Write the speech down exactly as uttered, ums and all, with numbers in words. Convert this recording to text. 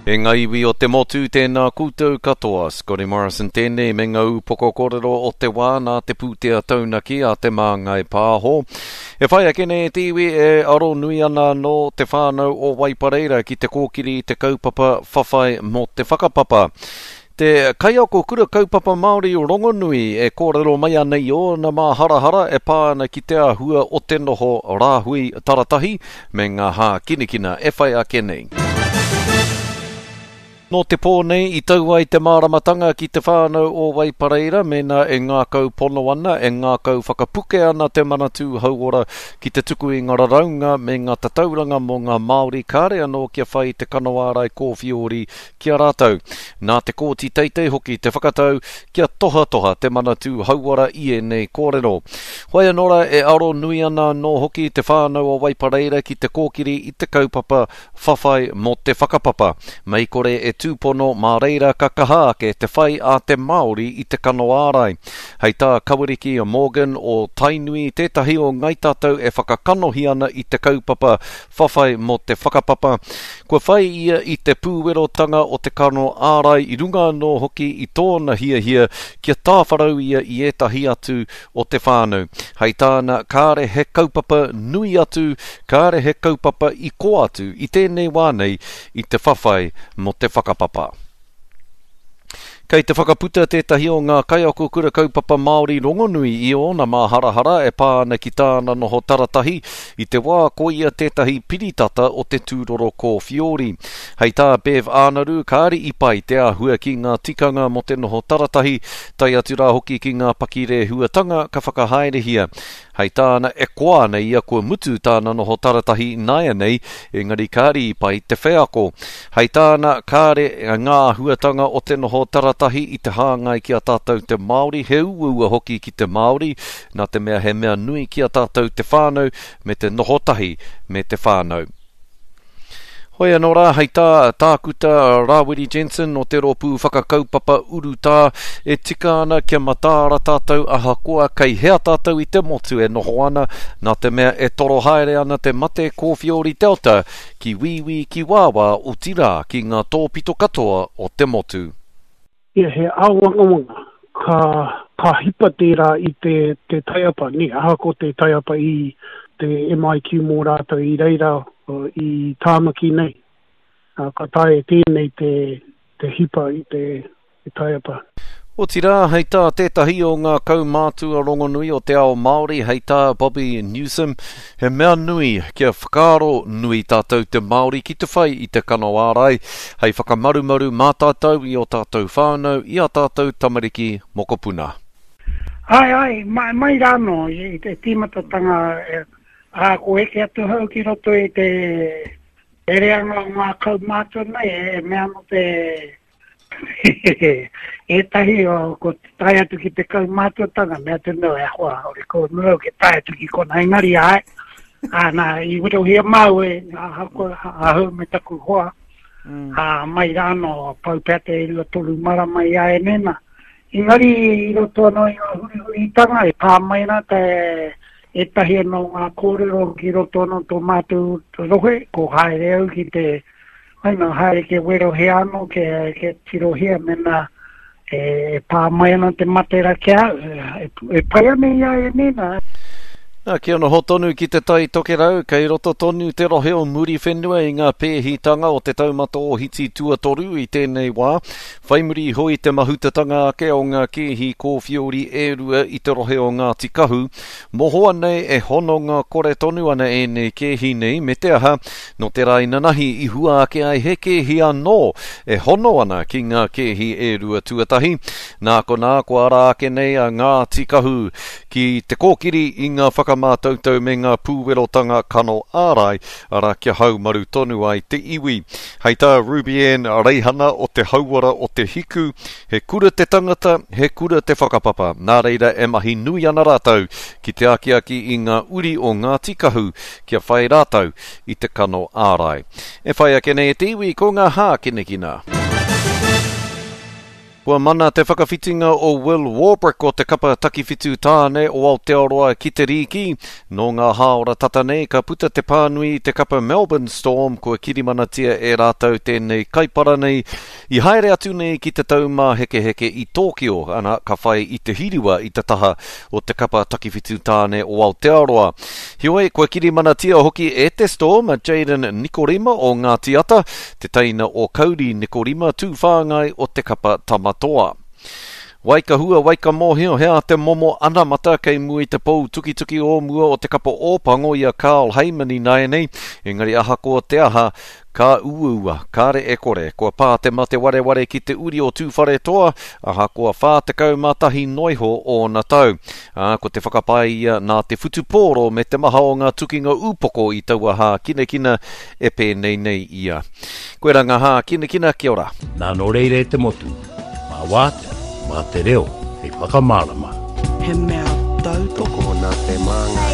E ngā iwi o te motu, tēnā koutou katoa. Scotty Morrison tēnei me ngā upoko kōrero o te wā nā te pūtea taunaki a Te Māngai Pāho. E whai ake nei te iwi e aro nui ana nō te whānau o Waipareira ki te kōkiri i te kaupapa whawhai mō te whakapapa. Te kaiako kura kaupapa Māori rongonui e kōrero mai ana i ōna māharahara e pā ana ki te āhua o te noho rāhui taratahi me ngā hākinakina e whai ake nei. Nō te pō nei i tau ai te māramatanga ki te whānau o Waipareira mēnā e ngākau pono ana, e ngākau whakapuke ana te Manatū Hauora ki te tuku i ngā raraunga me ngā tatauranga mō ngā Māori kāre anō kia whai te kano ārai kōwhiori ki a rātou. Nā te Kōti Teitei hoki te whakatau kia tohatoha te Manatū Hauora i ēnei kōrero. Hoi anō rā e aro nui ana anō hoki te whānau o Waipareira ki te kōkiri i te kaupapa whawhai mō te whakapapa. Mei kore e tūpono mā reira ka kaha ake te whai a te Māori i te kano ārai. Hei tā Kawariki Morgan o Tainui tētahi o Ngai Tātou e whakakanohi ana i te kaupapa whawhai mō te whakapapa. Kua whai ia i te pūwerotanga o te kano ārai i runga anō hoki i tōna hiahia kia tāwharau ia i ētahi atu o te whānau. Hei tāna, kāre he kaupapa nui atu, kāre he kaupapa i kō atu i tēnei wā nei i te whawhai mō te whakapapa. Kei te whakaputa tētahi o ngā kaiako kura kaupapa Māori rongonui i ōna māharahara e pā ana ki tāna noho taratahi i te wā ko ia tētahi piritata o te tūroro kōwhiori. Hei tā Bev Ānaru, kāre i pai te āhua ki ngā tikanga mō te noho taratahi, tae atu rā hoki ki ngā pakirēhuatanga ka whakahaerehia. Hei tāna, e koa ana ia kua mutu tāna noho taratahi nāianei, engari kāre i pai te wheako. Hei tāna, kāre ngā āhuatanga o te noho taratahi i te hāngai ki a tātou te Māori, he uaua hoki ki te Māori, nā te mea he mea nui ki a tātou te whānau me te noho tahi me te whānau. Hoi anō rā, hei tā Tākuta Rāwiri Jensen o te rōpū whakakaupapa urutā, e tika ana kia mataara tātou ahakoa kei hea tātou i te motu e noho ana, nā te mea e toro haere ana te mate kōwhiori Delta ki wīwī ki wāwā otirā ki ngā tōpito katoa o te motu. Ia he āwangawanga ka, ka hipa tērā i te, te taiapa, nē, ahakoa te taiapa i te M I Q mō rātou i reira i Tāmaki nei. Ka taea tēnei te, te hipa i te, te taiapa. Otirā, hei tā tētahi o ngā kaumātua rongonui o te ao Māori, hei tā Bobby Newsom, he mea nui kia whakaaro nui tātou te Māori ki te whai i te kano ārai, hei whakamarumaru mā tātou i o tātou whānau, i a tātou tamariki mokopuna. Ai, ai, mai, mai rānō i te tīmatatanga, e, ā, ko eke atu hau ki roto i te reanga o ngā kaumātua nei, e mea anō te ētahi o ko tae atu ki te kaumātuatanga, mea atu nō e hoa, ore ko mua ke tae atu ki kona, engari ai, ā, nā, i werohia māu e, ahakoa, ahau me taku hoa, Mm. ā, mai rānō, pau pea te e rua toru marama i a enena. Engari i roto anō i ngā hurihuritanga, e pā mai ana te ētahi anō ngā kōrero ki roto anō tō mātou rohe, ko haere au ki te, ai nā, haere ke werohia anō, ke, ke tirohia mena e, e pā mai ana te matera ki au, e, e pai ana i a enena. Nā, kia noho tonu ki te Tai Tokerau, kei roto tonu te rohe o Muriwhenua i ngā pēhitanga o te taumata ohiti tuatoru i tēnei wā. Whai muri iho i te mahutatanga ake o ngā kēhi kōwhiori e rua i te rohe o Ngāti Kahu, mohoa nei e hononga kore tonu ana ēnei kēhi nei, me te aha, nō te rā inanahi i hua ake ai he kēhi anō e hono ana ki ngā kēhi e rua tuatahi. Nā konā, kua ara ake nei a Ngāti Kahu ki te kōkiri i ngā whakamātautau me ngā pūwerotanga kano ārai, arā kia haumaru tonu ai te iwi. Hei tā Ruby Ann Reihana o te Hauora o te Hiku, he kura te tangata, he kura te whakapapa. Nā reira e mahi nui ana rātou ki te akiaki i ngā uri o Ngāti Kahu kia whai rātou i te kano ārai. E whai ake nei e te iwi ko ngā hākinakina. Kua mana te whakawhitinga o Will Warbrick o te kapa takiwhitu tāne o Aotearoa ki te rīki. Nō ngā hāora tata nei ka puta te pānui i te kapa Melbourne Storm kua kirimanatia e rātou tēnei kaipara nei i haere atu nei ki te taumāhekeheke i Tōkio, ana ka whai i te hiriwa i te taha o te kapa takiwhitu tāne o Aotearoa. Heoi, kua kirimanatia hoki e te Storm a Jaden Nikorima o Ngāti Ata, te teina o Kauri Nikorima tūwhāngai o te kapa Tamatoa. Waikahua, waikamōhio, he a te momo anamata kei mua i te pou tukituki o mua o te kapa Ōpango i a Carl Hayman ināianei, engari ahakoa te aha, ka uaua, kāre e kore, kua pā te mate wareware ki te uri o Tūwharetoa, ahakoa whā tekau mā tahi noiho ōna tau. Ā, ko te whakapae ia nā te whutupōro me te maha o ngā tukinga ūpoko i taua hākinakina e pēnei nei ia. Koe rā ngā hākinakina, kia ora. Nā nō reira e te motu, mā wātea, mā te reo, hei whakamārama. He mea tautoko Tokona te māngai.